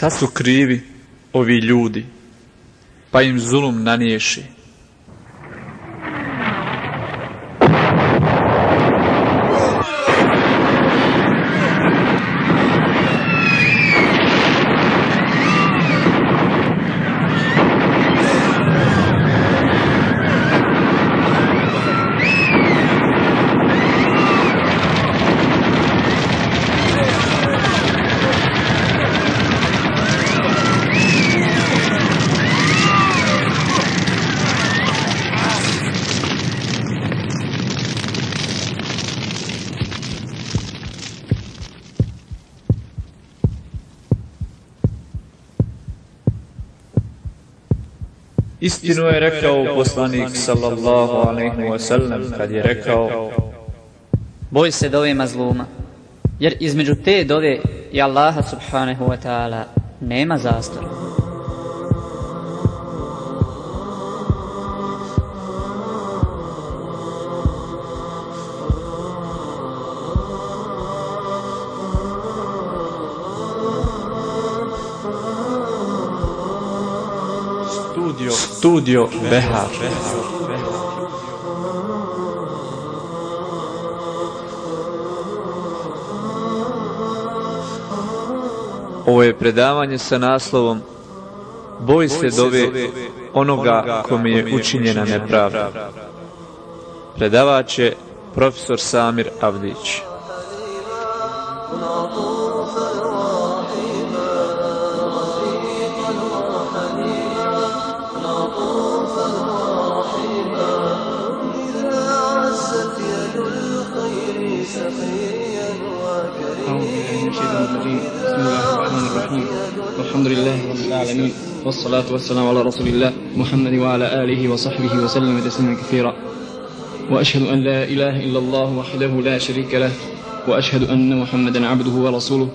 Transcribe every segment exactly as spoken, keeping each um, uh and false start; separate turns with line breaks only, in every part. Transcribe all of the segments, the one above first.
šta su krivi ovi ljudi, pa im zulum naniješi. Istinu je rekao poslanik sallallahu alejhi ve sellem kad je rekao:
boj se dove mazluma, jer između te dove i Allaha subhanahu wa ta'ala nema zastora.
Studio, studio Behar. Ovo je predavanje sa naslovom Boj se dove onoga kome je učinjena nepravda. Predavač je profesor Samir Avdić.
الحمد لله رب العالمين والصلاة والسلام على رسول الله محمد وعلى آله وصحبه وسلم تسليما كثيرا وأشهد أن لا إله إلا الله وحده لا شريك له وأشهد أن محمدا عبده ورسوله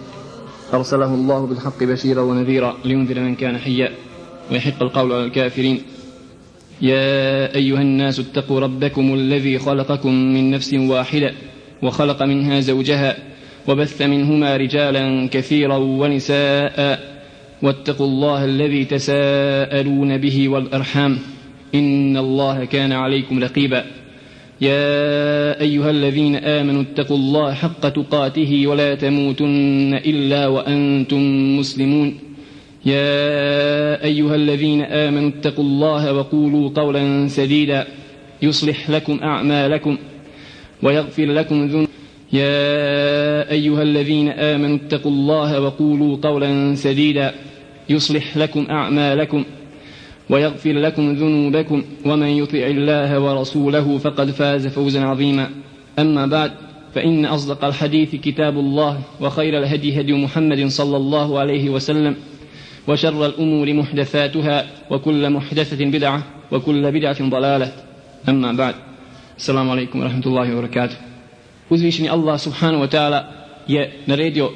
أرسله الله بالحق بشيرا ونذيرا لينذر من كان حيا ويحق القول على الكافرين يا أيها الناس اتقوا ربكم الذي خلقكم من نفس واحدة وخلق منها زوجها وبث منهما رجالا كثيرا ونساء واتقوا الله الذي تساءلون به والأرحام إن الله كان عليكم رقيبا يا أيها الذين آمنوا اتقوا الله حق تقاته ولا تموتن إلا وأنتم مسلمون يا أيها الذين آمنوا اتقوا الله وقولوا قولا سديدا يصلح لكم أعمالكم ويغفر لكم ذنوبكم يا أيها الذين آمنوا اتقوا الله وقولوا قولا سديدا يصلح لكم أعمالكم ويغفر لكم ذنوبكم ومن يطع الله ورسوله فقد فاز فوزا عظيما أما بعد فإن أصدق الحديث كتاب الله وخير الهدي هدي محمد صلى الله عليه وسلم وشر الأمور محدثاتها وكل محدثة بدعة وكل بدعة ضلالة أما بعد السلام عليكم ورحمة الله وبركاته. Uzvišeni Allah subhanahu wa ta'ala je naredio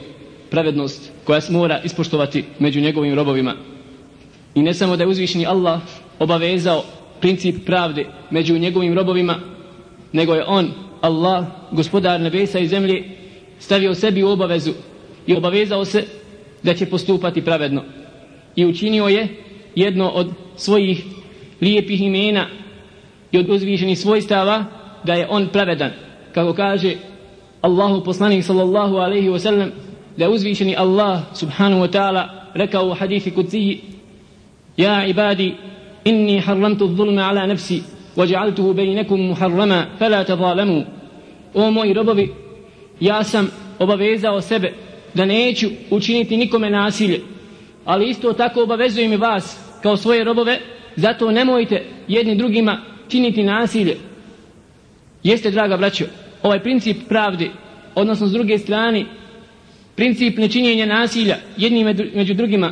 pravednost koja se mora ispoštovati među njegovim robovima. I ne samo da je uzvišeni Allah obavezao princip pravde među njegovim robovima, nego je on, Allah, gospodar nebesa i zemlje, stavio sebi u obavezu i obavezao se da će postupati pravedno. I učinio je jedno od svojih lijepih imena i od uzvišenih svojstava da je on pravedan. Kako kaže Allahu poslanik sallallahu alaihi wa sallam, da je uzvišeni Allah subhanahu wa ta'ala rekao u hadithi kudzi: ja ibadi, inni harramtu zulma ala nafsi وجعلته بينكم محرما فلا تظالموا. O moji robovi, ja sam obavezao sebe da neću učiniti nikome nasilje, ali isto tako obavezujem i vas kao svoje robove, zato nemojte jedni drugima činiti nasilje. Jeste, draga braćo, ovaj princip pravde, odnosno s druge strane princip nečinjenja nasilja jednim među drugima,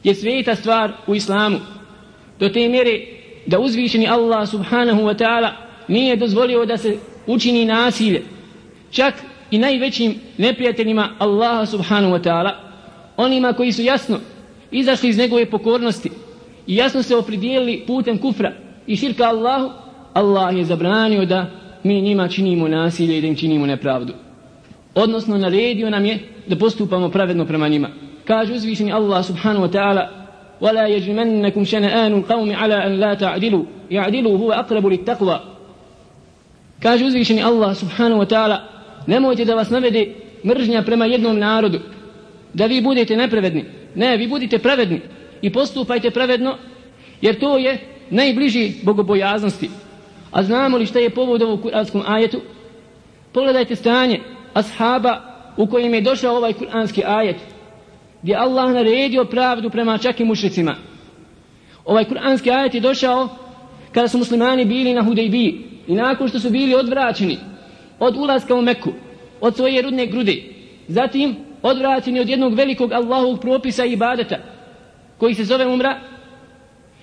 je sveta stvar u islamu, do te mjere da uzvišeni Allah subhanahu wa ta'ala nije dozvolio da se učini nasilje čak i najvećim neprijateljima Allaha subhanahu wa ta'ala, onima koji su jasno izašli iz njegove pokornosti i jasno se opredijelili putem kufra i širka Allahu. Allah je zabranio da mi njima činimo nasilje i da im činimo nepravdu, odnosno naredio nam je da postupamo pravedno prema njima. kaže uzvišeni Allah subhanahu wa ta'ala: وَلَا يَجْرِمَنَّكُمْ شَنَآنُ الْقَوْمِ عَلَىٰ أَنْ لَا تَعْدِلُوا يَعْدِلُوا هُوَ أَقْرَبُ لِلتَّقْوَى. Kaže uzvišeni Allah subhanahu wa ta'ala: nemojte da vas navede mržnja prema jednom narodu, da vi budete nepravedni. Ne, vi budite pravedni i postupajte pravedno, jer to je najbliži bogobojaznosti. A znamo li šta je povod ovog kuranskom ajetu? Pogledajte stanje ashaba u kojim je došao ovaj kuranski ajet, gdje Allah naredio pravdu prema čak i mušricima. Ovaj kuranski ajet je došao kada su muslimani bili na Hudejbiji i nakon što su bili odvraćeni od ulaska u Meku, od svoje rudne grude, zatim odvraćeni od jednog velikog Allahovog propisa i ibadeta koji se zove umra,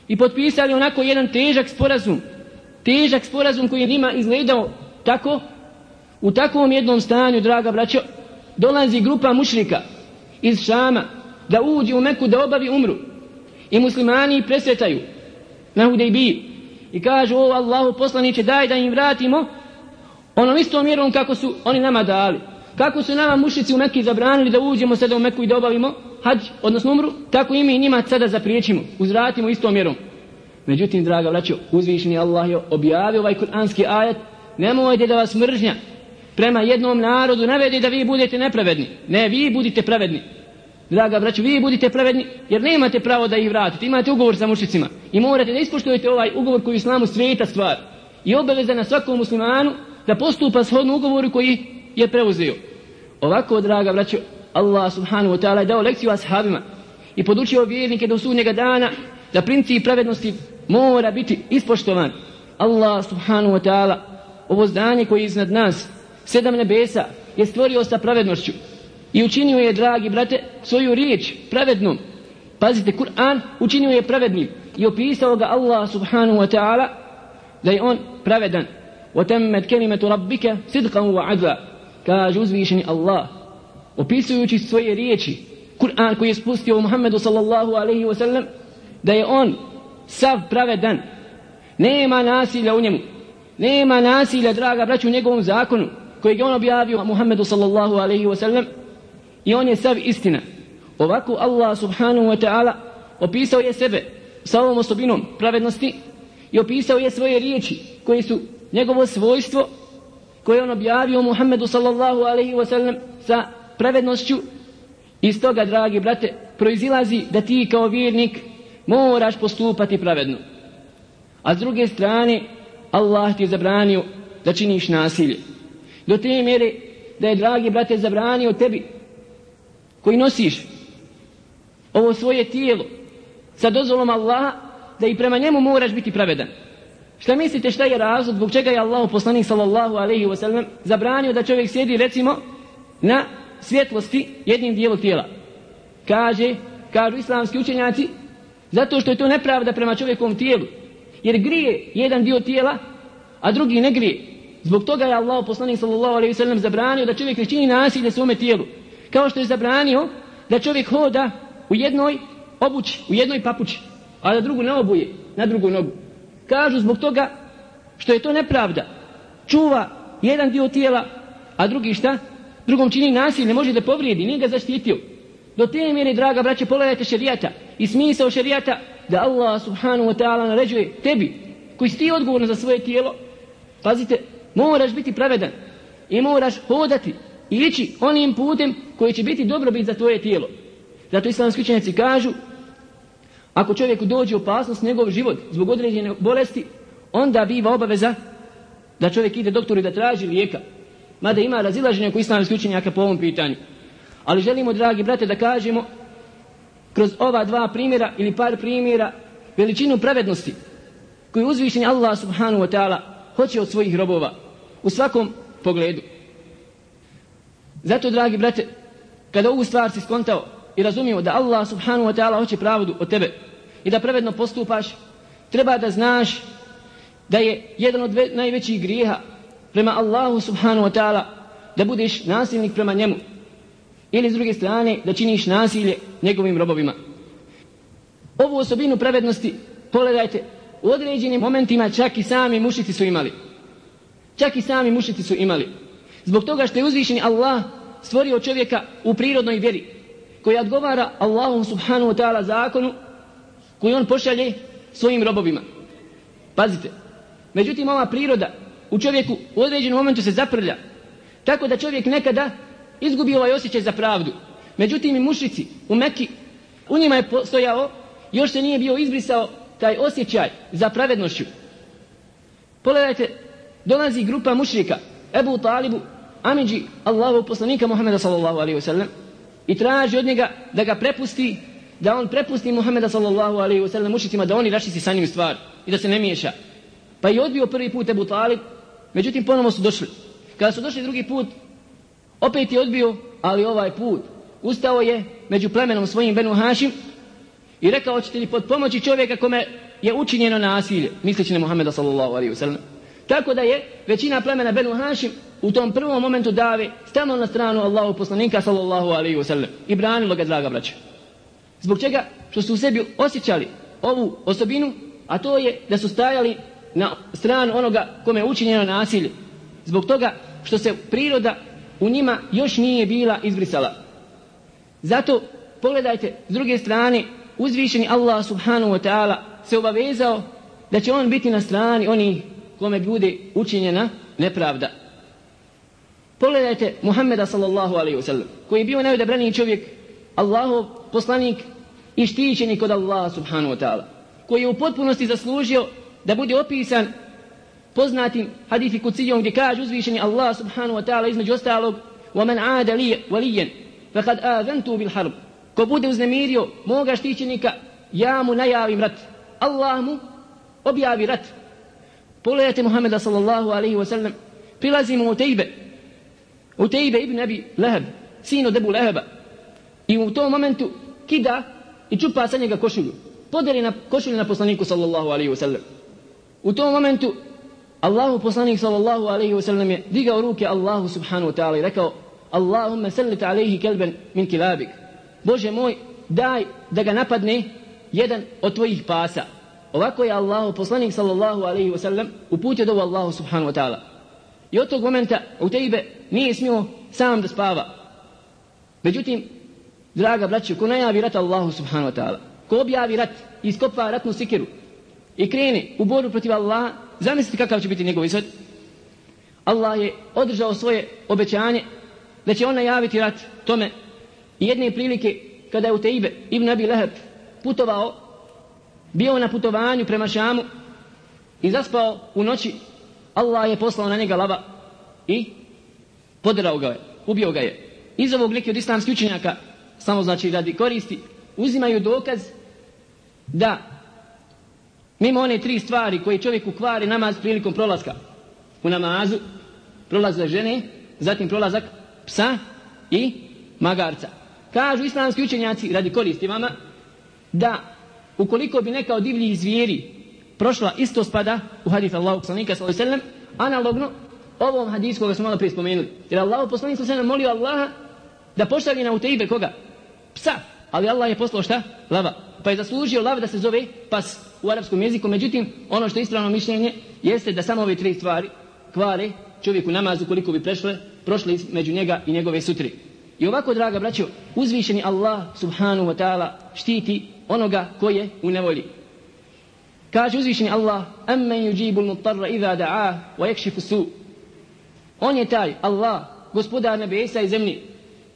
i potpisali onako jedan težak sporazum, težak sporazum koji je njima izgledao tako. U takvom jednom stanju, draga braćo, dolazi grupa mušrika iz Šama da uđe u Meku da obavi umru, i muslimani presretaju na Hudejbiji i kažu: o Allahu poslaniče, daj da im vratimo onom istom mjerom kako su oni nama dali. Kako su nama mušrici u Mekki zabranili da uđemo sada u Meku i da obavimo hadž, odnosno umru, tako i mi njima sada zapriječimo, uzvratimo istom mjerom. Međutim, draga braćo, uzvišeni Allah je objavio ovaj kuranski ajet: nemojte da vas mržnja prema jednom narodu navede da vi budete nepravedni. Ne, vi budite pravedni. Draga braćo, vi budite pravedni, jer nemate pravo da ih vratite. Imate ugovor sa mušricima i morate da ispoštujete ovaj ugovor koji je islamu sveta stvar i obaveza na svakom muslimanu da postupa shodno ugovoru koji je preuzeo. Ovako, draga braćo, Allah subhanahu wa ta'ala je dao lekciju ashabima i podučio vjernike do sudnjega dana da princip pravednosti mora biti ispoštovan. Allah subhanahu wa ta'ala ovo zdanje koje je iznad nas, sedam nebesa, je stvorio sa pravednošću i učinio je, dragi brate, svoju riječ pravednom. Pazite, Kur'an učinio je pravednim i opisao ga Allah subhanahu wa ta'ala da je on pravedan. وَتَمَّتْ كَلِمَةُ رَبِّكَ صِدْقًا وَعَدْلًا. Kaže uzvišeni Allah, opisujući svoje riječi, Kur'an koji je spustio u Muhammedu sallallahu alaihi wa sallam, da je on sav pravedan. Nema nasilja u njemu. Nema nasilja, draga braću, u njegovom zakonu koji je on objavio Muhammedu sallallahu alaihi wa sallam, i on je sav istina. Ovako Allah subhanahu wa ta'ala opisao je sebe sa ovom osobinom pravednosti i opisao je svoje riječi koje su njegovo svojstvo koje on objavio Muhammedu sallallahu alaihi wa sallam sa pravednošću. Iz toga, dragi brate, proizilazi da ti kao vjernik moraš postupati pravedno. A s druge strane, Allah ti je zabranio da činiš nasilje. Do te mjere da je, dragi brate, zabranio tebi koji nosiš ovo svoje tijelo sa dozvolom Allaha da i prema njemu moraš biti pravedan. Šta mislite šta je razlog zbog čega je Allah poslanik sallallahu alaihi wa sallam zabranio da čovjek sjedi, recimo, na svjetlosti jednim dijelom tijela? Kaže, kažu islamski učenjaci, zato što je to nepravda prema čovjekovom tijelu, jer grije jedan dio tijela, a drugi ne grije. Zbog toga je Allah poslanik sallallahu alaihi wa sallam zabranio da čovjek ne čini nasilje svome tijelu, kao što je zabranio da čovjek hoda u jednoj obući, u jednoj papuči, a da drugu ne obuje na drugu nogu. Kažu zbog toga što je to nepravda. Čuva jedan dio tijela, a drugi šta? Drugom čini nasilje, ne može da povrijedi, nije ga zaštitio. Do te mjere, draga braće, pogledajte šerijata i smisao šerijata da Allah subhanahu wa ta'ala naređuje tebi, koji si ti odgovorno za svoje tijelo, pazite, moraš biti pravedan i moraš hodati i ići onim putem koji će biti dobrobit za tvoje tijelo. Zato islamski učenjaci kažu, ako čovjeku dođe opasnost njegov život zbog određene bolesti, onda biva obaveza da čovjek ide doktoru i da traži lijeka. Mada ima razilaženje oko islamskih učenjaka po ovom pitanju. Ali želimo, dragi brate, da kažemo kroz ova dva primjera ili par primjera veličinu pravednosti koju uzvišeni Allah subhanahu wa ta'ala hoće od svojih robova u svakom pogledu. Zato, dragi brate, kada ovu stvar si skontao i razumio da Allah subhanahu wa ta'ala hoće pravdu od tebe i da pravedno postupaš, treba da znaš da je jedan od najvećih grijeha prema Allahu subhanahu wa ta'ala da budeš nasilnik prema njemu, ili s druge strane da činiš nasilje njegovim robovima. Ovu osobinu pravednosti, pogledajte, u određenim momentima čak i sami mušici su imali. Čak i sami mušici su imali. Zbog toga što je uzvišeni Allah stvorio čovjeka u prirodnoj vjeri koji odgovara Allahu subhanahu wa ta'ala zakonu koji on pošalje svojim robovima. Pazite, međutim ova priroda u čovjeku u određenom momentu se zaprlja, tako da čovjek nekada izgubi ovaj osjećaj za pravdu. Međutim i mušrici u Mekki, u njima je postojao, još se nije bio izbrisao taj osjećaj za pravednošću. Pogledajte, dolazi grupa mušrika Ebu Talibu, amidži Allahu poslanika Muhammeda sallallahu alaihi wa sallam i traži od njega da ga prepusti, da on prepusti Muhammeda sallallahu alaihi wa sallam mušricima, da oni raščisti sa njim stvar i da se ne miješa. Pa je odbio prvi put Ebu Talib, međutim ponovo su došli. Kada su došli drugi put, opet je odbio, ali ovaj put ustao je među plemenom svojim Benu Hašim i rekao, hoćete li pod pomoći čovjeka kome je učinjeno nasilje, misleći na Muhammeda sallallahu alaihi wa sallam. Tako da je većina plemena Benu Hašim u tom prvom momentu dave stalo na stranu Allahu poslanika sallallahu alaihi wa sallam i branilo ga, draga braća. Zbog čega? Što su u sebi osjećali ovu osobinu, a to je da su stajali na stranu onoga kome je učinjeno nasilje. Zbog toga što se priroda u njima još nije bila izbrisala. Zato pogledajte, s druge strane, uzvišeni Allah subhanahu wa ta'ala se obavezao da će on biti na strani onih kome bude učinjena nepravda. Pogledajte Muhammeda sallallahu alaihi wa sallam, koji je bio najodabraniji čovjek, Allahov poslanik i štićenik od Allaha subhanahu wa ta'ala, koji je u potpunosti zaslužio da bude opisan poznatim hadithi kucijom gdje kaže uzvišeni Allah subhanahu wa ta'ala između ostalog وَمَنْ عَادَ لِيَ وَلِيًّا فَقَدْ آذَنْتُ بِالْحَرْبِ, ko bude uznemirio moga štićenika, ja mu najavim rat, Allah mu objavi rat. Pogledajte Muhammeda sallallahu alaihi wa sallam, prilazimo u Tejbe, u Tejbe ibn Abi Leheb, sin od Ebu Leheba, i u tom momentu kida i čupa sa njega košulju, podeli na košulju na poslaniku sallallahu alaihi wa sallam. U tom momentu Allahu poslanik sallallahu alaihi wa sallam je digao ruke Allahu subhanahu wa ta'ala i rekao, Allahumma sallit alaihi kelben min kilabik, Bože moj, daj da ga napadne jedan od tvojih pasa. Ovako je Allahu poslanik sallallahu alaihi wa sallam uputio dovu Allahu subhanahu wa ta'ala. I od tog momenta Utejbe nije smio sam da spava. Međutim, draga braćo, ko najavi rat Allahu subhanahu wa ta'ala, ko objavi rat i iskopa ratnu sikiru i krene u borbu protiv Allaha, zamislite kakav će biti njegov ishod. Allah je održao svoje obećanje da će on najaviti rat tome. I jedne prilike kada je Utejbe ibn Abi Leheb putovao, bio na putovanju prema Šamu i zaspao u noći, Allah je poslao na njega lava i poderao ga je, ubio ga je. Iz ovog neki od islamskih učenjaka, samo znači radi koristi, uzimaju dokaz da mimo one tri stvari koje čovjeku kvari namaz prilikom prolaska u namazu, prolazak žene, zatim prolazak psa i magarca. Kažu islamski učenjaci, radi koristi vama, da ukoliko bi neka od divljih zvijeri prošla, isto spada u hadith Allahu poslanika sallallahu alejhi ve sellem, analogno ovom hadisu koga smo malo prije spomenuli. Jer Allahu poslanik sallallahu alejhi ve sellem molio Allaha da pošalje na Utejbe koga? Psa. Ali Allah je poslao šta? Lava. Pa je zaslužio lav da se zove pas u arapskom jeziku. Međutim, ono što je ispravno mišljenje jeste da samo ove tri stvari kvare čovjeku namazu koliko bi prešle, prošle među njega i njegove sutri. I ovako, draga braćo, uzvišeni Allah subhanahu wa ta'ala štiti onoga ko je u nevolji. Kaže uzvišeni Allah, amman yujibu al-muttarra idha da'a wa yakshifu su. On je taj Allah, gospodar nebesa i zemlje,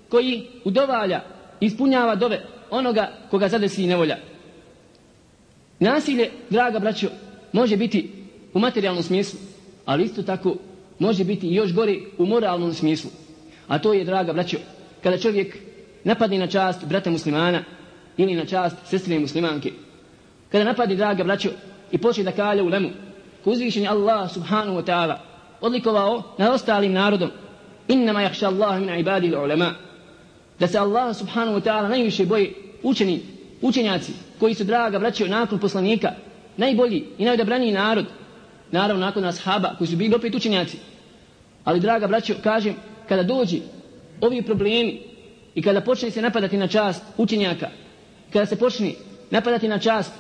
koji udovalja, ispunjava dove onoga koga zadesi nevolja. Nasilje, draga braćo, može biti u materijalnom smislu, ali isto tako može biti i još gore u moralnom smislu. A to je, draga braćo, kada čovjek napadne na čast brata muslimana ili na čast sestre muslimanke. Kada napadne, draga braćo, i počne da kalja u lemu, ko uzvišeni Allah subhanahu wa ta'ala odlikovao nad ostalim narodom, innama yakhsha Allah min ibadihi al-ulama, da se Allah subhanahu wa ta'ala najviše boje učeni, učenjaci koji su, draga braćo, nakon poslanika najbolji i najodabraniji narod, naravno nakon ashaba koji su bili opet učenjaci. Ali, draga braćo, kažem, kada dođi ovi problemi i kada počne se napadati na čast učenjaka, kada se počne napadati na čast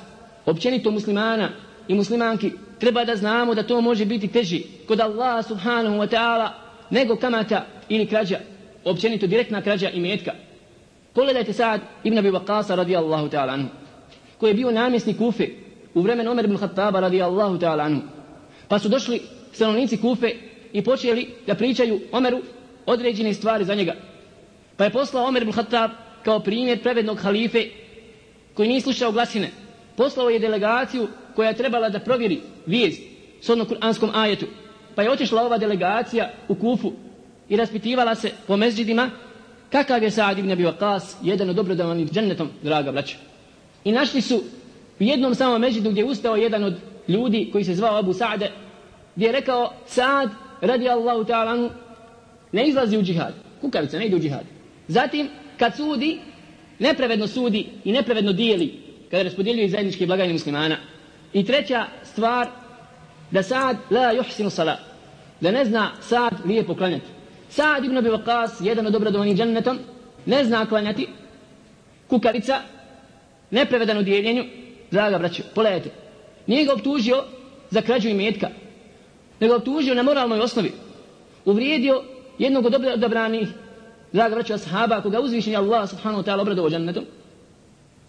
općenito muslimana i muslimanki, treba da znamo da to može biti teži kod Allaha subhanahu wa ta'ala nego kamata ili krađa, općenito direktna krađa imetka. Pogledajte Sa'd ibn Abi Waqqasa radijallahu ta'ala anhu, koji je bio namjesnik Kufe u vremenu Omer ibn Khattaba radijallahu ta'ala anhu. Pa su došli stanovnici Kufe i počeli da pričaju Omeru određene stvari za njega. Pa je poslao Omer ibn Khattab kao primjer pravednog halife koji nije slušao glasine. Poslao je delegaciju koja je trebala da provjeri vijest s onom kuranskom ajetu. Pa je otišla ova delegacija u Kufu i raspitivala se po mezđidima kakav je Sa'd ibn Abi Waqqas, jedan od dobrodavnih džennetom, draga braća. I našli su u jednom samom mezđidu gdje je ustao jedan od ljudi koji se zvao Abu Sa'de, gdje je rekao: Sa'd radijallahu ta'ala anhu ne izlazi u džihad, kukavica, ne ide u džihad. Zatim kad sudi, nepravedno sudi i nepravedno dijeli kada raspodjeljuje zajedničke blagajne muslimana. I treća stvar, da Sa'd la yuhsinu salat, da ne zna Sa'd lijepo klanjati. Sa'd ibn Abi Waqqas, jedan od dobrodavnih džennetom, ne zna klanjati, kukavica, nepravedan u dijeljenju. Draga braćo, pogledajte, nije ga optužio za krađu imetka, nego optužio na moralnoj osnovi, uvrijedio jednog od odabranih, draga braćo, ashaba koga uzvišeni Allah subhanahu wa ta'ala obradovao džennetom.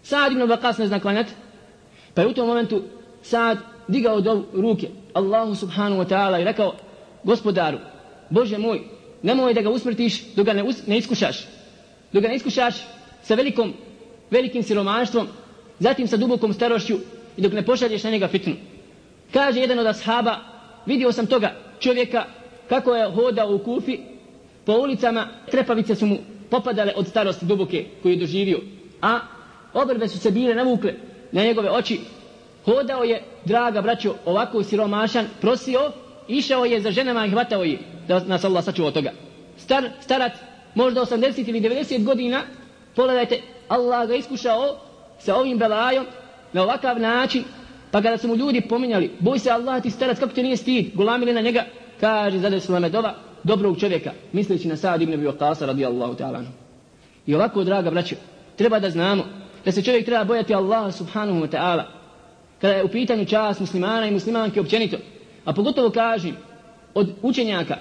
Sa'd ibn Abi Waqqas ne zna klanjati, pa je u tom momentu Sa'd digao do ruke Allahu subhanahu wa ta'ala i rekao: Gospodaru, Bože moj, nemoj da ga usmrtiš dok ga ne, us, ne iskušaš, dok ga ne iskušaš sa velikom, velikim siromaštvom, zatim sa dubokom starošću i dok ne pošalješ na njega fitnu. Kaže jedan od ashaba: vidio sam toga čovjeka kako je hodao u Kufi po ulicama, trepavice su mu popadale od starosti duboke koju je doživio, a obrve su se bile navukle na njegove oči. Hodao je, draga braćo, ovako siromašan, prosio, išao je za ženama i hvatao je, da nas Allah sačuva od toga. Star, starac, možda osamdeset ili devedeset godina, pogledajte, Allah ga iskušao sa ovim belajom na ovakav način, pa kada su mu ljudi pominjali: boj se Allah, ti starac, kako te nije stid, gulamili na njega, kaže: zadesila me dova dobrog čovjeka, misleći na Sa'd ibn Abi Waqqasa radijallahu ta'ala anhu. I ovako, draga braćo, treba da znamo da se čovjek treba bojati Allaha subhanahu wa ta'ala kada je u pitanju čast muslimana i muslimanke općenito, a pogotovo kažem od učenjaka.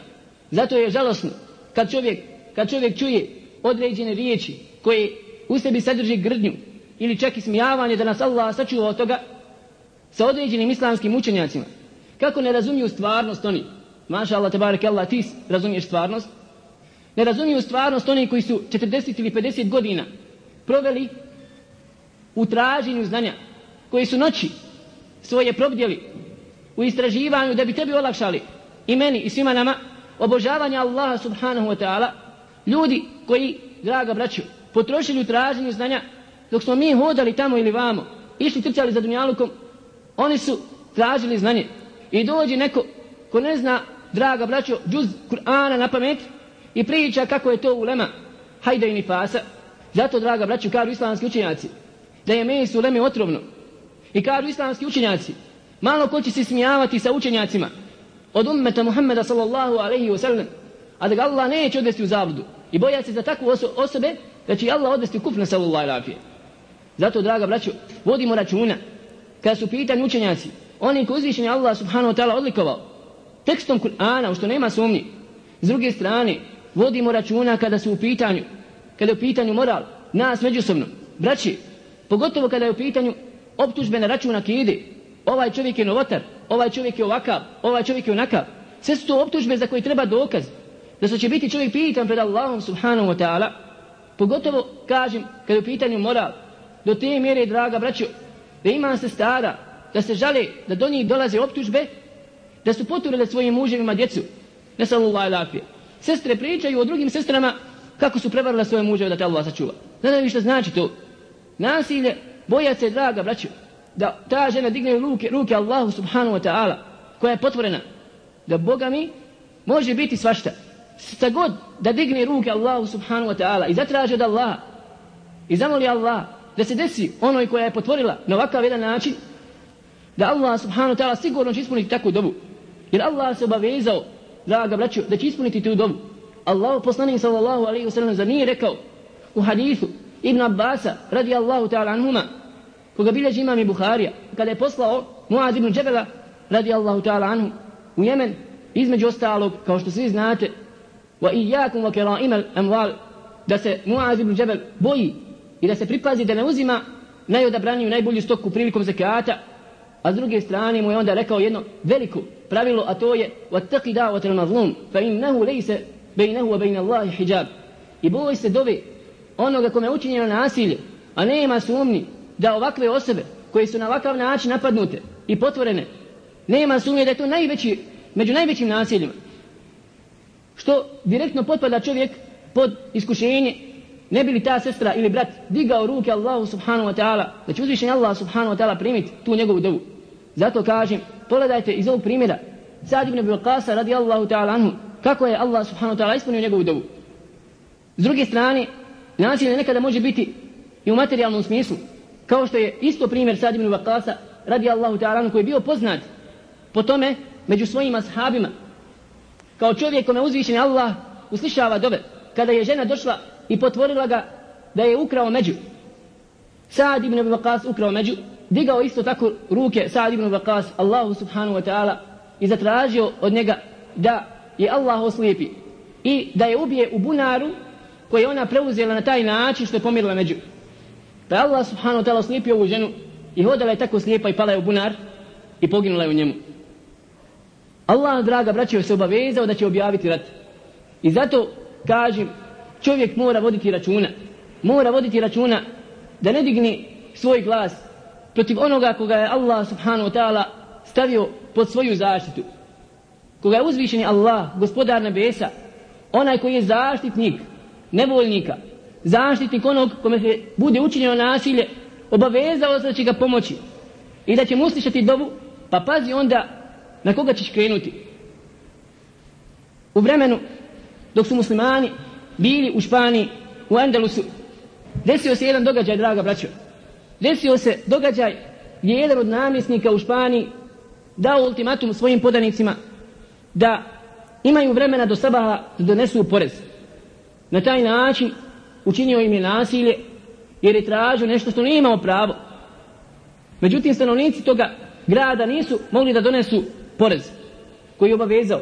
Zato je žalosno kad čovjek, kad čovjek čuje određene riječi koje u sebi sadrži grdnju ili čak i smijavanje, da nas Allah sačuva od toga, sa određenim islamskim učenjacima. Kako ne razumiju stvarnost oni? Maša Allah, tebareke Allah, ti razumiješ stvarnost. Ne razumiju stvarnost oni koji su četrdeset ili pedeset godina proveli u traženju znanja, koji su noći svoje probdjeli u istraživanju da bi tebi olakšali, i meni i svima nama, obožavanje Allaha subhanahu wa ta'ala. Ljudi koji, draga braćo, potrošili u traženju znanja, dok smo mi hodali tamo ili vamo, išli trčali za dunjalukom, oni su tražili znanje. I dođe neko ko ne zna, draga braćo, džuz Kur'ana na pamet i priča kako je to ulema hajda i nifasa. Zato, draga braćo, kažu islamski učenjaci da je meso uleme otrovno. I kažu islamski učenjaci, malo ko će se smijavati sa učenjacima od ummeta Muhammeda sallallahu alaihi wa sallam, a da ga Allah neće odvesti u zabludu, i boja se za takvu oso osobe da će Allah odvesti u kufr, sallallahu alaihi. Zato, draga braćo, vodimo računa kada su pitani učenjaci, oni koji uzvišeni Allah subhanahu wa ta'ala odlikovao tekstom Kur'ana, u što nema sumnji. S druge strane, vodimo računa kada su u pitanju, kada je u pitanju moral, nas međusobno, braći, pogotovo kada je u pitanju optužbe na račun akide. Ovaj čovjek je novotar, ovaj čovjek je ovakav, ovaj čovjek je onakav. Sve su to optužbe za koje treba dokaz, da se će biti čovjek pitan pred Allahom subhanahu wa ta'ala. Pogotovo, kažem, kada je u pitanju moral, do te mjere, draga braćo, da ima se stara, da se žale da do njih dolaze optužbe, da su poturile svojim muževima djecu. Ne sallallahu alaihi. Sestre pričaju o drugim sestrama kako su prevarile svoje muževe da te Allah sačuva. Znaju što znači to? Nasilje, boja se, draga braćo, da ta žena digne ruke, ruke Allahu subhanahu wa ta'ala, koja je potvorena, da Boga mi može biti svašta. Sta god da digne ruke Allahu subhanahu wa ta'ala i zatraži od Allaha i zamoli Allah da se desi onoj koja je potvorila na ovakav jedan način, da Allah subhanahu wa ta'ala sigurno će ispuniti takvu dobu. Jer Allah se obavezao, draga braćo, da će ispuniti tu dobu. Allahu poslanik sallallahu alaihi wa sallam za nije rekao u hadithu Ibn Abbasa radijallahu ta'ala anhuma, koga bilježi imam i Buharija, kada je poslao Muaz ibn Džebela radijallahu ta'ala anhu u Jemen, između ostalog, kao što svi znate, wa iyakum wa kara'imal amwal,
da se Muaz ibn Džebel boji i da se pripazi da ne uzima najodabraniju, najbolju stoku prilikom zekata, a s druge strane mu je onda rekao jedno veliko pravilo, a to je وَاتَّقِ دَعْوَةَ الْمَظْلُومِ فَإِنَّهُ لَيْسَ بَيْنَهُ وَبَيْنَ اللَّهِ حِجَابٍ. I boj se dove onoga kome je učinjeno nasilje, a nema sumnji da ovakve osobe koje su na ovakav način napadnute i potvorene, nema sumnje da je to najveći, među najvećim nasiljima. Što direktno potpada čovjek pod iskušenje, ne bi li ta sestra ili brat digao ruke Allahu subhanahu wa ta'ala, da će uzvišen Allah subhanahu wa ta'ala primiti tu njegovu dovu. Zato kažem, pogledajte iz ovog primjera Sa'd ibn Abi Waqqasa radijallahu ta'ala anhu, kako je Allah subhanahu wa ta'ala ispunio njegovu dovu. S druge strane, nasilje nekada može biti i u materijalnom smislu, kao što je isto primjer Sa'd ibn Abi Waqqasa radijallahu ta'ala anhu, koji je bio poznat po tome među svojim ashabima, kao čovjek kome uzvišen Allah uslišava dove. Kada je žena došla i potvorila ga da je ukrao među, Sa'd ibn Abi Waqqas ukrao među, digao isto tako ruke Sa'd ibn Abi Waqqas Allahu subhanahu wa ta'ala i zatražio od njega da je Allah oslijepi i da je ubije u bunaru koji je ona preuzela na taj način što je pomirila među. Pa Allah subhanahu wa ta'ala oslijepio ovu ženu i hodala je tako slijepa i pala je u bunar i poginula je u njemu. Allah, draga braćo, se obavezao da će objaviti rat. I zato kažem, čovjek mora voditi računa. Mora voditi računa da ne digni svoj glas protiv onoga koga je Allah subhanahu wa ta'ala stavio pod svoju zaštitu. Koga je uzvišeni Allah, gospodar nebesa, onaj koji je zaštitnik nevoljnika, zaštitnik onog kome se bude učinjeno nasilje, obavezao se da će ga pomoći i da će mu uslišati dovu, pa pazi onda na koga ćeš krenuti. U vremenu dok su muslimani bili u Španiji, u Andalusu, desio se jedan događaj, draga braćo. Desio se događaj gdje je jedan od namjesnika u Španiji dao ultimatum svojim podanicima da imaju vremena do sabaha da donesu porez. Na taj način učinio im je nasilje jer je tražio nešto što nije imao pravo. Međutim, stanovnici toga grada nisu mogli da donesu porez koji je obavezao.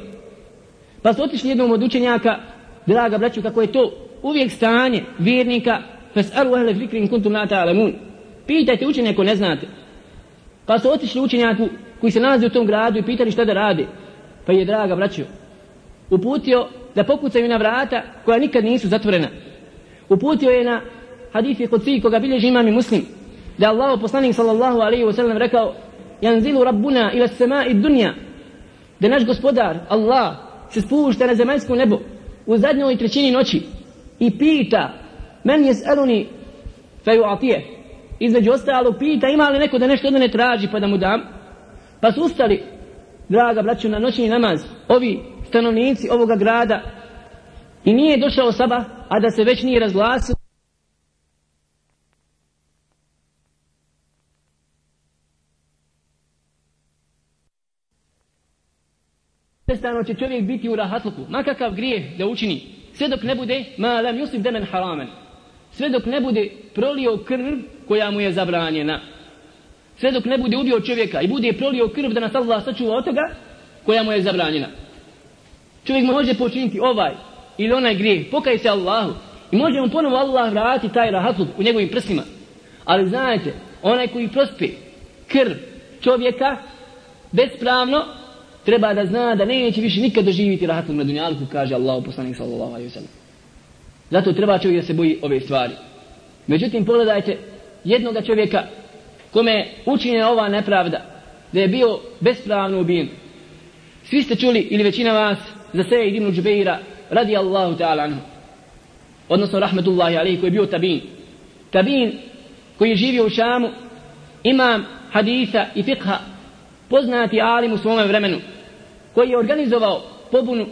Pa su otišli jednom od učenjaka, draga braću, kako je to uvijek stanje vjernika, fas'alu ahle zikri in kuntum la ta'lamun. Pitajte učenje ako ne znate. Pa su otišli učenjaku koji se nalazi u tom gradu i pitali šta da rade. Pa je, draga braćo, uputio da pokucaju na vrata koja nikad nisu zatvorena. Uputio je na hadithi kudsi koga bilježi imam i Muslim, da Allah poslanik sallallahu alaihi wa sallam rekao: Janzilu rabbuna ila samai dunja, da naš gospodar Allah se spušta na zemaljsko nebo u zadnjoj trećini noći i pita: men jes'aluni feju'atije. Između ostalog pita ima li neko da nešto od mene traži pa da mu dam. Pa su ustali, draga braćo, na noćni namaz ovi stanovnici ovoga grada i nije došao sabah, a da se već nije razglasio. Prestano će čovjek biti u rahatluku, makakav grijeh da učini, sve dok ne bude ma lam yusib daman haraman, sve dok ne bude prolio krv koja mu je zabranjena, sve dok ne bude ubio čovjeka i bude prolio krv da nas Allah sačuva od toga koja mu je zabranjena. Čovjek može počiniti ovaj ili onaj grijeh, pokaj se Allahu i može mu ponovo Allah vratiti taj rahatluk u njegovim prstima. Ali znajte, onaj koji prospe krv čovjeka bespravno, treba da zna da neće više nikad doživjeti rahatluk na dunjalku, kaže Allah poslanik sallallahu alejhi ve sellem. Zato treba čovjek da se boji ove stvari. Međutim, pogledajte jednoga čovjeka kome je učinjena ova nepravda, da je bio bespravno ubijen. Svi ste čuli, ili većina vas, za Sejid ibn Džubeira radijallahu ta'ala anhu, odnosno rahmetullahi alejhi, koji je bio tabin. Tabin koji je živio u Šamu, imam hadisa i fiqha, poznati alim u svome vremenu, koji je organizovao pobunu,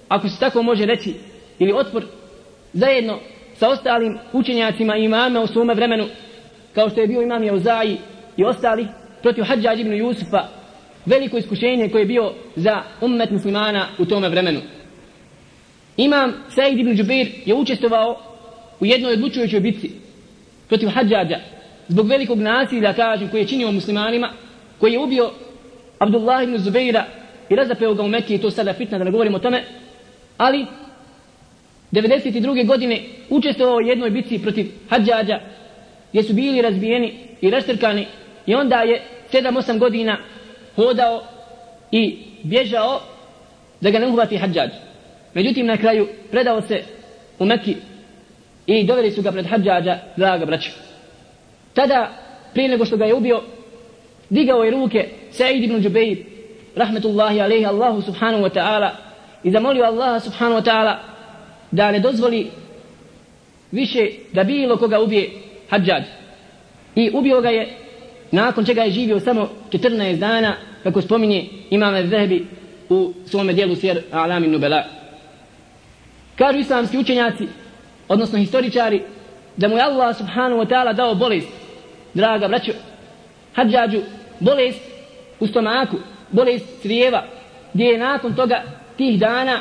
ako se tako može reći, ili otpor, zajedno sa ostalim učenjacima i imama u svome vremenu, kao što je bio imam Jauza'i i ostali, protiv Hadžadž ibn Jusufa, veliko iskušenje koje je bio za ummet muslimana u tome vremenu. Imam Sejid ibn Džubeir je učestvovao u jednoj odlučujućoj bitci protiv Hadžadža, zbog velikog nasilja, kažem, koji je činio muslimanima, koji je ubio Abdullah ibn Zubeira i razapeo ga u Mekke, i to sada fitna da ne govorim o tome, ali devedeset druge godine učestvovao u jednoj bitci protiv Hadžađa, gdje su bili razbijeni i raštrkani, i onda je sedam osam godina hodao i bježao da ga ne uhvati Hadžađ. Međutim, na kraju predao se u Mekki i doveli su ga pred Hadžađa, draga braćo. Tada, prije nego što ga je ubio, digao je ruke Sa'id ibn Džubeir, rahmetullahi alejhi, Allahu subhanahu wa ta'ala, i zamolio Allaha subhanahu wa ta'ala da ne dozvoli više da bilo koga ubije Hadžađ. I ubio ga je, nakon čega je živio samo četrnaest dana, kako spominje Imam Az-Zahabi u svome dijelu Sjer A'lam Nubala. Kažu islamski učenjaci, odnosno historičari, da mu je Allah subhanahu wa ta'ala dao bolest, draga braćo, Hadžađu, bolest u stomaku, bolest crijeva, gdje je nakon toga, tih dana,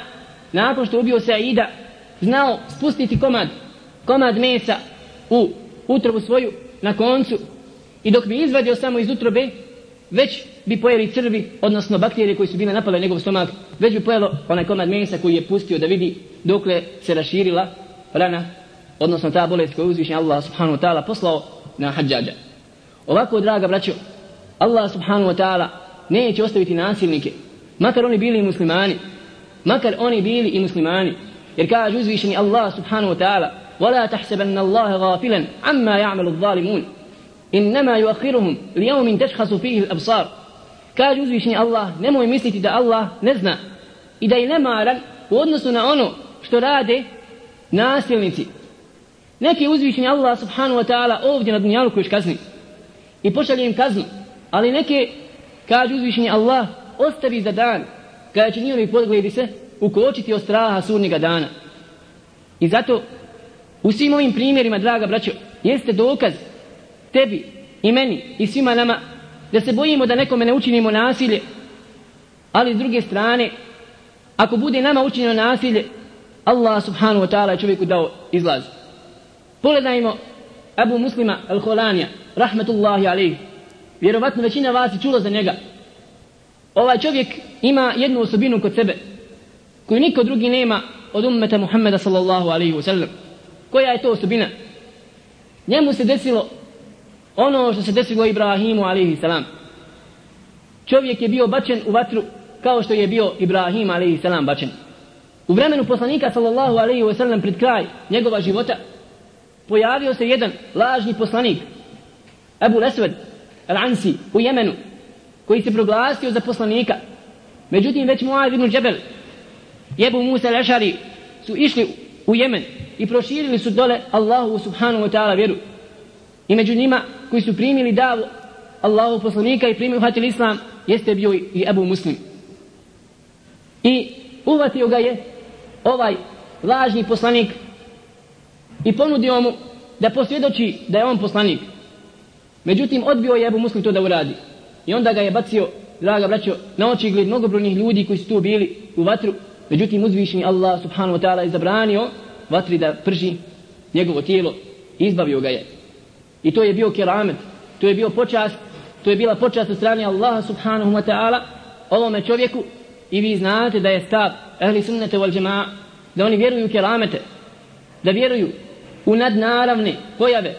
nakon što ubio Saida, znao spustiti komad, komad mesa u utrobu svoju na koncu, i dok bi izvadio samo iz utrobe, već bi pojeli crvi, odnosno bakterije koji su bile napale njegov stomak, već bi pojelo onaj komad mesa koji je pustio da vidi dokle se raširila rana, odnosno ta bolest koju je uzvišen Allah subhanahu wa ta'ala poslao na Hadžađa. Ovako, draga braćo, Allah subhanahu wa ta'ala neće ostaviti nasilnike, makar oni bili i muslimani, makar oni bili i muslimani, jer kaže uzvišeni Allah subhanahu wa ta'ala: وَلَا تَحْسَبَنَّ اللَّهَ غَافِلًا عَمَّا يَعْمَلُ الظَّالِمُونَ إِنَّمَا يُؤَخِّرُهُمْ لِيَوْمٍ تَشْخَصُ فِيهِ الْأَبْصَارُ. Kaže uzvišeni Allah, nemoj misliti da Allah ne zna i da je nemaran u odnosu na ono što rade nasilnici. Neki uzvišeni Allah subhanahu wa ta'ala ovdje na dunjaluku još kazni i pošalje im kaznu, ali neke, kaže uzvišeni Allah, ostavi za dan kada će njihovi pogledi se ukočiti od straha sudnjega dana. I zato u svim ovim primjerima, draga braćo, jeste dokaz tebi i meni i svima nama da se bojimo da nekome ne učinimo nasilje, ali s druge strane, ako bude nama učinjeno nasilje, Allah subhanahu wa ta'ala je čovjeku dao izlaz. Pogledajmo Abu Muslima al-Khulanija, rahmetullahi alejhi. Vjerovatno većina vas je čulo za njega. Ovaj čovjek ima jednu osobinu kod sebe koju niko drugi nema od ummeta Muhammeda sallallahu alejhi ve sellem. Koja je to osobina? Njemu se desilo ono što se desilo Ibrahimu alejhi salam. Čovjek je bio bačen u vatru kao što je bio Ibrahim alejhi salam bačen. U vremenu poslanika sallallahu alejhi ve sellem, pred kraj njegova života, pojavio se jedan lažni poslanik, Abu Lesved al-Ansi u Jemenu, koji se proglasio za poslanika. Međutim, već Muaz ibn Džebel i Ebu Musa al-Ešari su išli u Jemen i proširili su dole Allahu subhanahu wa ta'ala vjeru. I među njima koji su primili davu Allahu poslanika i primili uhvatili islam, jeste bio i Ebu Muslim. I uhvatio ga je ovaj lažni poslanik i ponudio mu da posvjedoči da je on poslanik. Međutim, odbio je Ebu Muslim to da uradi. I onda ga je bacio, draga braćo, na oči gled mnogobrojnih ljudi koji su tu bili u vatru. Međutim, uzvišeni Allah subhanahu wa ta'ala je zabranio vatri da prži njegovo tijelo i izbavio ga je. I to je bio keramet, to je bio počast, to je bila počast od strane Allaha subhanahu wa ta'ala ovome čovjeku. I vi znate da je stav ehli sunnete wal džema'a, da oni vjeruju u keramete, da vjeruju u nadnaravne pojave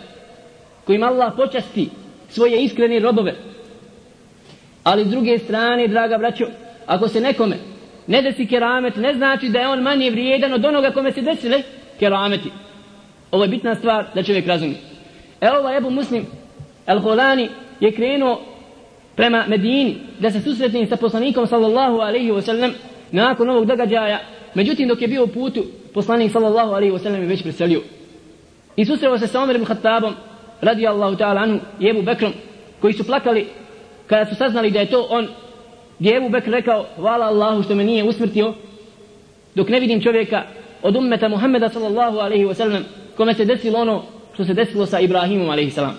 kojim Allah počasti svoje iskrene robove. Ali s druge strane, draga braćo, ako se nekome ne desi keramet, ne znači da je on manje vrijedan od onoga kome se desile kerameti. Ovo je bitna stvar da čovjek razumije. Evo ovaj Ebu Muslim al-Khulani je krenuo prema Medini da se susretne sa poslanikom sallallahu alejhi ve sellem nakon ovog događaja. Međutim, dok je bio u putu, poslanik sallallahu alejhi ve sellem je već preselio. I susreo se sa Omer ibn Khattabom radijallahu ta'ala anhu i Ebu Bekrom, koji su plakali kada su saznali da je to on, gdje je Ebu Bekr rekao: hvala Allahu što me nije usmrtio dok ne vidim čovjeka od ummeta Muhammeda sallallahu alejhi ve sellem kome se desilo ono što se desilo sa Ibrahimom alejhi salam.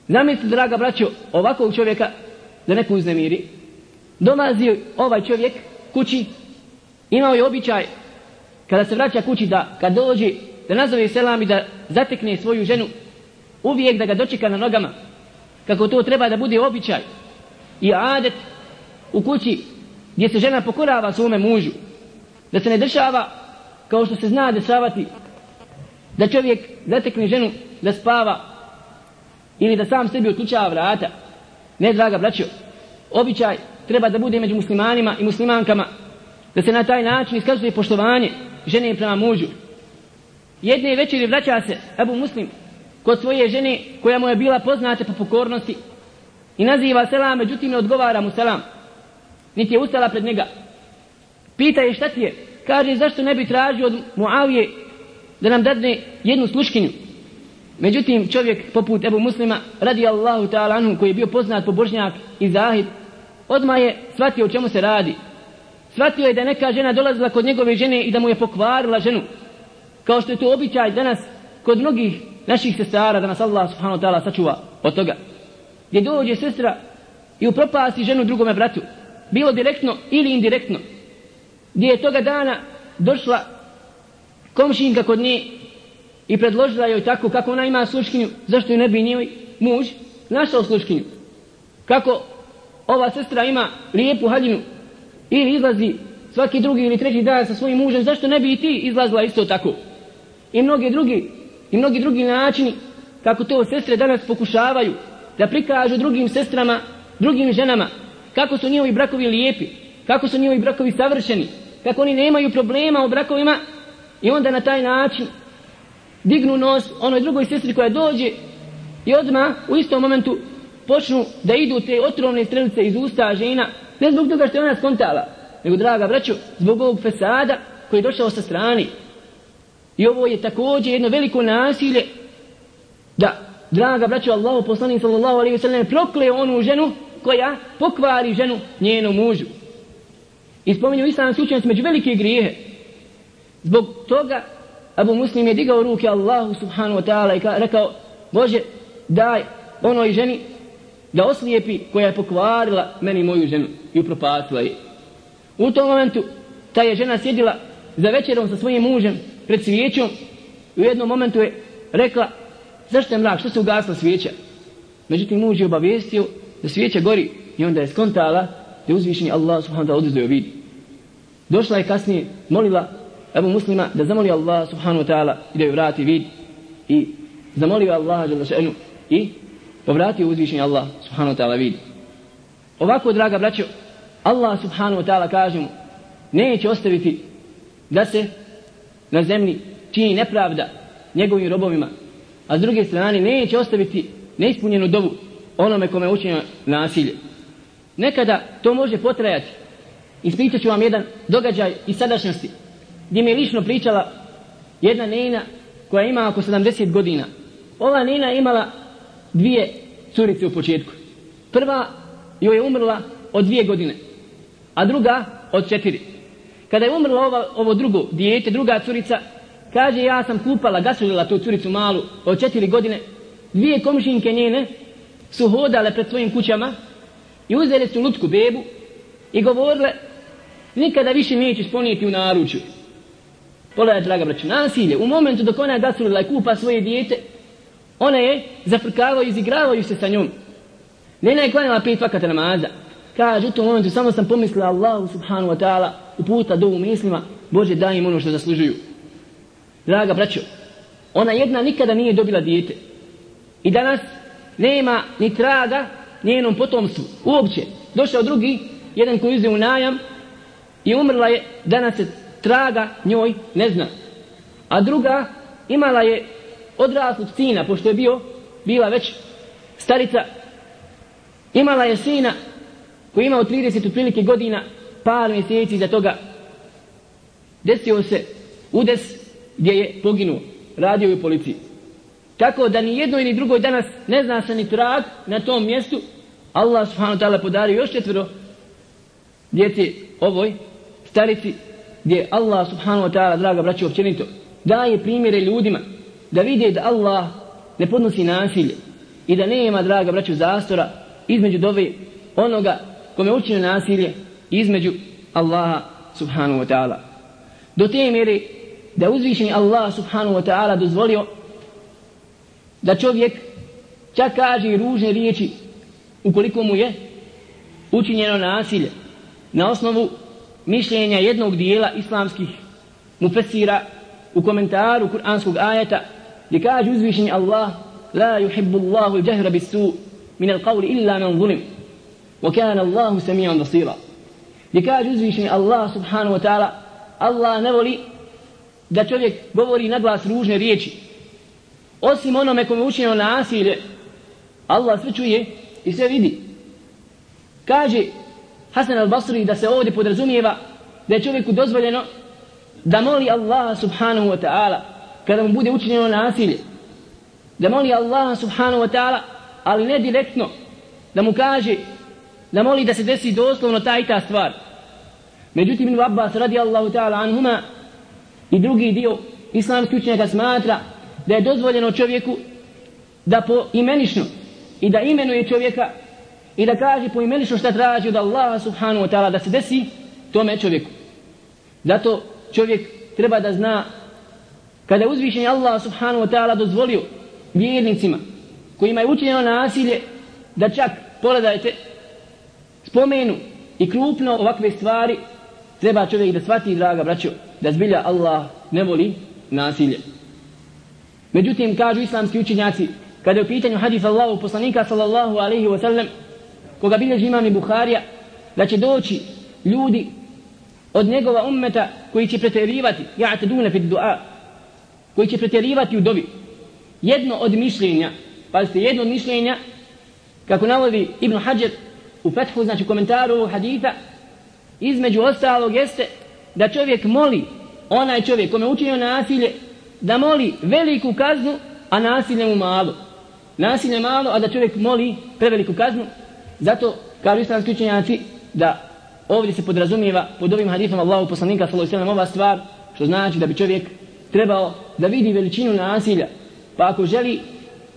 Zamislite, draga braćo, ovakvog čovjeka da neko uznemiri. Dolazi ovaj čovjek kući, imao je običaj kada se vraća kući da kad dođe da nazove selam i da zatekne svoju ženu, uvijek da ga dočeka na nogama, kako to treba da bude običaj i adet u kući gdje se žena pokorava svome mužu, da se ne dešava kao što se zna dešavati da čovjek zatekne ženu da spava ili da sam sebi otključava vrata. Ne, draga braćo, običaj treba da bude među muslimanima i muslimankama da se na taj način iskazuje poštovanje žene prema mužu. Jedne večeri vraća se Ebu Muslim kod svoje žene koja mu je bila poznata po pokornosti i naziva selam, međutim ne odgovara mu selam, niti je ustala pred njega. Pita je šta ti je, kaže zašto ne bi tražio od Muavije da nam dadne jednu sluškinju. Međutim čovjek poput Ebu Muslima radi Allahu ta'ala anhu, koji je bio poznat pobožnjak i zahid, odmah je shvatio o čemu se radi. Shvatio je da neka žena dolazila kod njegove žene i da mu je pokvarila ženu, kao što je to običaj danas kod mnogih naših sestara, da nas Allah subhanahu wa ta'ala sačuva od toga, gdje dođe sestra i upropasti ženu drugome bratu, bilo direktno ili indirektno, gdje je toga dana došla komšinka kod nje i predložila joj tako kako ona ima sluškinju, zašto ju ne bi njoj muž našao sluškinju. Kako ova sestra ima lijepu haljinu ili izlazi svaki drugi ili treći dan sa svojim mužem, zašto ne bi i ti izlazila isto tako? I mnogi drugi, i mnogi drugi načini kako to sestre danas pokušavaju da prikažu drugim sestrama, drugim ženama, kako su njihovi brakovi lijepi, kako su njihovi brakovi savršeni, kako oni nemaju problema u brakovima, i onda na taj način dignu nos onoj drugoj sestri koja dođe i odmah u istom momentu počnu da idu te otrovne strelice iz usta žena, ne zbog toga što je ona skontala, nego, draga braćo, zbog ovog fesada koji je došao sa strani. I ovo je također jedno veliko nasilje da, draga braćo, Allahu poslanik sallallahu alejhi ve sellem prokle onu ženu koja pokvari ženu njenom mužu. I spominju islamski učenjaci među velike grijehe. Zbog toga Abu Muslim je digao ruke Allahu subhanahu wa ta'ala i rekao: Bože, daj onoj ženi da oslijepi koja je pokvarila meni moju ženu i upropastila je. U tom momentu ta je žena sjedila za večerom sa svojim mužem pred svijećom i u jednom momentu je rekla: zašto je mrak, što se ugasla svijeća? Međutim muž je obavijestio da svijeća gori i onda je skontala da je uzvišeni Allah subhanahu wa ta'ala oduzeo vid. Došla je kasnije, molila Ebu Muslima da zamoli Allah subhanahu wa ta'ala i da joj vrati vid, i zamolio Allah i povratio uzvišeni Allah subhanahu wa ta'ala vid. Ovako, draga braćo, Allah subhanahu wa ta'ala, kažemo, neće ostaviti da se na zemlji čini nepravda njegovim robovima, a s druge strane neće ostaviti neispunjenu dovu onome kome je učinjeno nasilje. Nekada to može potrajati. Ispričat ću vam jedan događaj iz sadašnjosti, gdje mi je lično pričala jedna nena koja ima oko sedamdeset godina. Ova nena je imala dvije curice u početku. Prva joj je umrla od dvije godine, a druga od četiri. Kada je umrla ova, ovo drugo dijete, druga curica, kaže: ja sam kupala, gasulila tu curicu malu od četiri godine. Dvije komšinke njene su hodale pred svojim kućama i uzeli su lutku bebu i govorile: nikada više nećeš ponijeti u naručju. Pogledaj, draga braću, nasilje. U momentu dok ona je gasulila i kupa svoje dijete, ona je zafrkavao i izigravaju se sa njom. Nena je klanjala pet vakata namaza. Kaže: u tom momentu samo sam pomislila Allahu subhanahu wa ta'ala, uputa dovu mislima: Bože, daj im ono što zaslužuju. Draga braćo, ona jedna nikada nije dobila dijete i danas nema ni traga njenom potomstvu uopće. Došao drugi, jedan koji uzeo u najam i umrla je, danas se traga njoj ne zna. A druga imala je odraslog sina, pošto je bio, bila već starica, imala je sina koji imao trideset otprilike godina, par mjeseci za toga desio se udes gdje je poginuo, radio je u policiji. Tako da ni jednoj ni drugoj danas ne zna se ni trag na tom mjestu. Allah subhanahu wa ta'ala podario još četvero djece ovoj starici, gdje Allah subhanahu wa ta'ala, draga braćo, općenito daje primjere ljudima da vide da Allah ne podnosi nasilje i da nema, draga braćo, zastora između dove onoga kome učine nasilje i između Allaha subhanahu wa ta'ala. Do te mjere da uzvišeni Allah subhanahu wa ta'ala dozvolio da čovjek čak kaže i ružne riječi ukoliko mu je učinjeno nasilje na osnovu mišljenja jednog dijela islamskih mufessira u komentaru kuranskog ajeta gdje kaže uzvišeni Allah la yuhibbu Allahu al-jahra bis-su' min al-qawli illa man zulim wa kana Allahu sami'an basira. Gdje kaže uzvišeni Allah subhanahu wa ta'ala Allah ne voli da čovjek govori na glas ružne riječi osim onome kome je učinjeno nasilje. Allah sve čuje i sve vidi. Kaže Hasan al-Basri da se ovdje podrazumijeva da je čovjeku dozvoljeno da moli Allaha subhanahu wa ta'ala kada mu bude učinjeno nasilje, da moli Allaha subhanahu wa ta'ala, ali ne direktno, da mu kaže da moli da se desi doslovno ta i ta stvar. Međutim, Ibn Abbas radijallahu ta'ala anhuma i drugi dio islamskih učenjaka smatra da je dozvoljeno čovjeku da po imenično i da imenuje čovjeka i da kaže po imenično šta traži od Allaha subhanahu wa ta'ala da se desi tome čovjeku. Zato čovjek treba da zna kada je uzvišeni Allah subhanahu wa ta'ala dozvolio vjernicima kojima je učinjeno nasilje da čak, pogledajte, spomenu i krupno ovakve stvari, treba čovjek da shvati, draga braćo, da zbilja Allah ne voli nasilje. Međutim, kažu islamski učenjaci, kada je u pitanju hadis Allahu poslanika sallallahu alaihi wa sallam, koga bilježi imam i Buharija, da će doći ljudi od njegova ummeta koji će pretjerivati, ja'taduna fi du'a, koji će pretjerivati u dobi. Jedno od mišljenja, pazite, jedno od mišljenja, kako navodi Ibn Hajar u Fethu, znači u komentaru ovog haditha, između ostalog jeste da čovjek moli, onaj čovjek kome je učinio nasilje, da moli veliku kaznu, a nasilje mu malo. Nasilje malo, a da čovjek moli preveliku kaznu. Zato, kažu islamski učenjaci, da ovdje se podrazumijeva pod ovim hadithom Allahu poslanika sallallahu alejhi ve sellem ova stvar, što znači da bi čovjek trebao da vidi veličinu nasilja, pa ako želi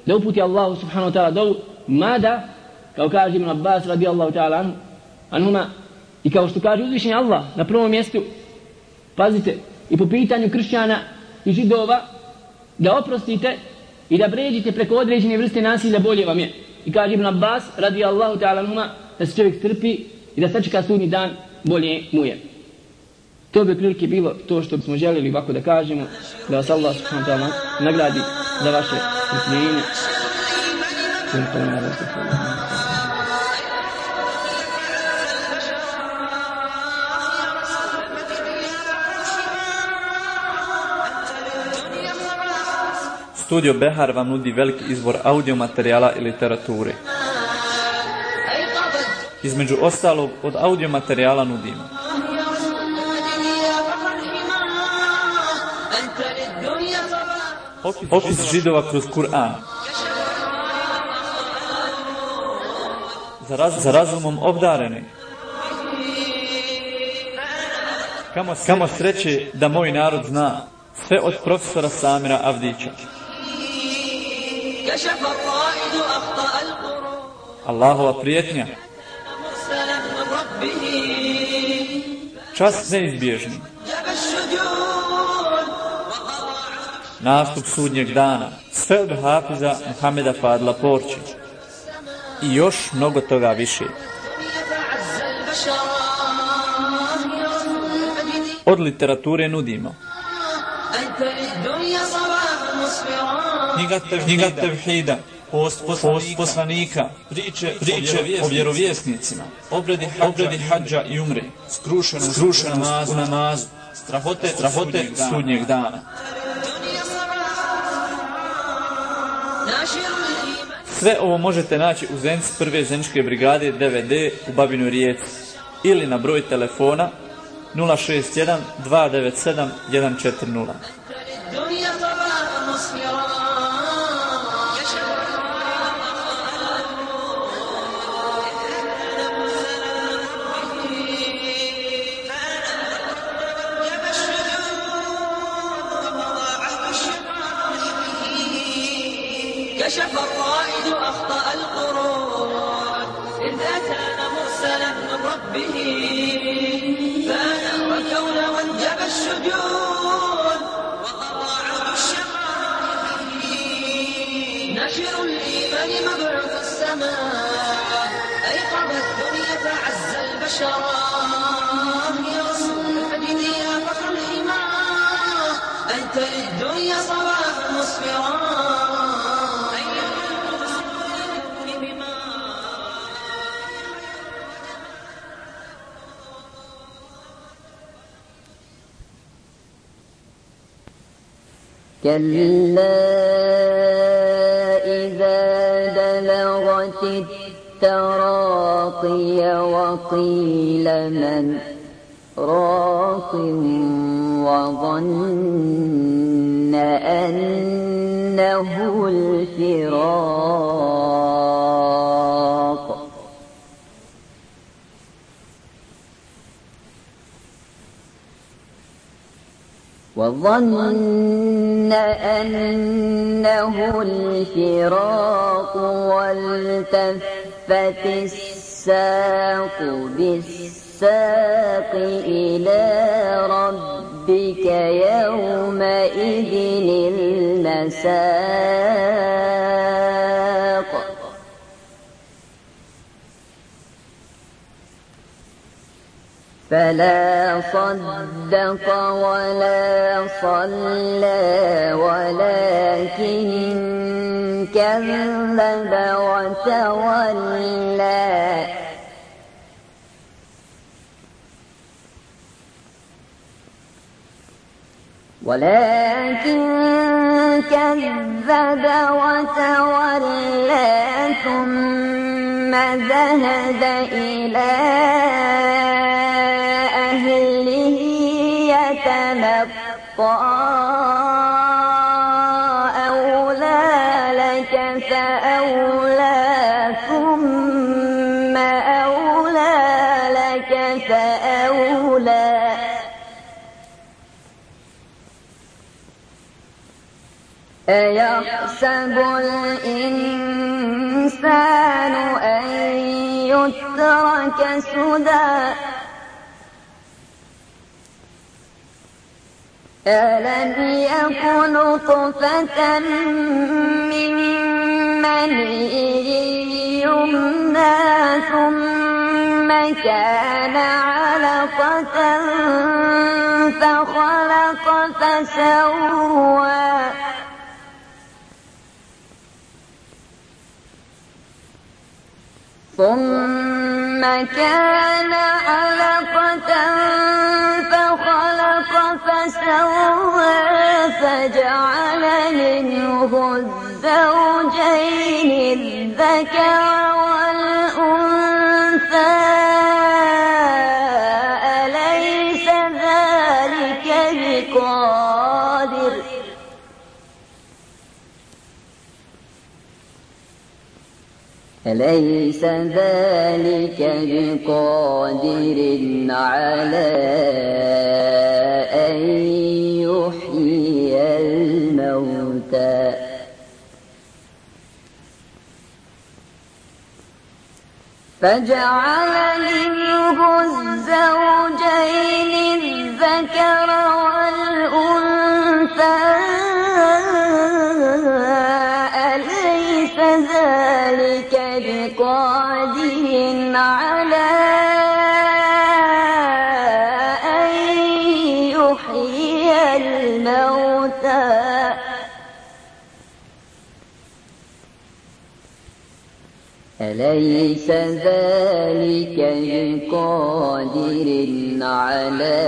da uputi Allahu subhanahu wa ta'ala dovu, mada, kao kaže Ibn Abbas radijallahu ta'ala anhuma, i kao što kaže uzvišeni Allah na prvom mjestu, pazite, i po pitanju kršćana i židova, da oprostite i da pređite preko određene vrste nasilja, bolje vam je. I kaže Ibn Abbas radijallahu ta'ala anhuma, da se čovjek strpi i da sačeka sudnji dan, bolje mu je. To bi prilike bilo to što bismo željeli ovako da kažemo, da vas Allah subhanahu wa ta'ala nagradi za vaše strpljenje.
Studio Behar vam nudi veliki izbor audio materijala i literature. Između ostalog, od audio materijala nudimo opis, opis židova kroz Kur'an, za, raz, za razumom obdareni, kamo sreće, kamo sreće da moj narod zna, sve od profesora Samira Avdića. Allahova prijetnja, čast neizbježni, nastup sudnjeg dana, sve od Hafiza Muhameda Fadla Porći i još mnogo toga više. Od literature nudimo knjiga tevhida, knjiga tevhida, post poslanika, post poslanika, priče, priče o vjerovjesnicima, obredi hađa, obredi hađa i umre, skrušenost, skrušenost u namazu, strahote, strahote sudnjeg dana. Sve ovo možete naći u Zenci prve Zeničke brigade D V D u Babinoj Rijeci ili na broj telefona nula šest jedan dva devet sedam jedan četiri nula.
كشف الرائد أخطأ القرون إذ أتانا مرسلا من ربه فأنا وكون وانجب الشجون وقضى عرض الشقاء نشر الإيمان مبعوث السماء أيقظ الدنيا فعز البشر يا رسول المجد يا فخر الإيمان أنت للدنيا صباح مسفرا
كلا إذا بلغت التراقي وقيل من راق وظن أنه الفراق وظن أنه الفراق والتفت الساق بالساق إلى ربك يومئذ المساق فلا صدق ولا صلى ولكن كذب وتولى ولكن كذب وتولى ثم ذهب إلى أهله يتمطى أولى لك فأولى ثم أولى لك فأولى أيحسب الإنسان أن يترك سدى ألم يكن نطفة من مني يمنى ثم كان علقة فخلق فسوى ثم كان علقة فخلق فسوى فجعل منه الزوجين الذكر والأنثى أليس ذلك بقادر أليس ذلك بقادر على أن يحيي الموتى فجعل منه الزوجين الذكر والأنثى أليس ذلك بقادر على أن يحيي الموتى أليس ذلك بقادر على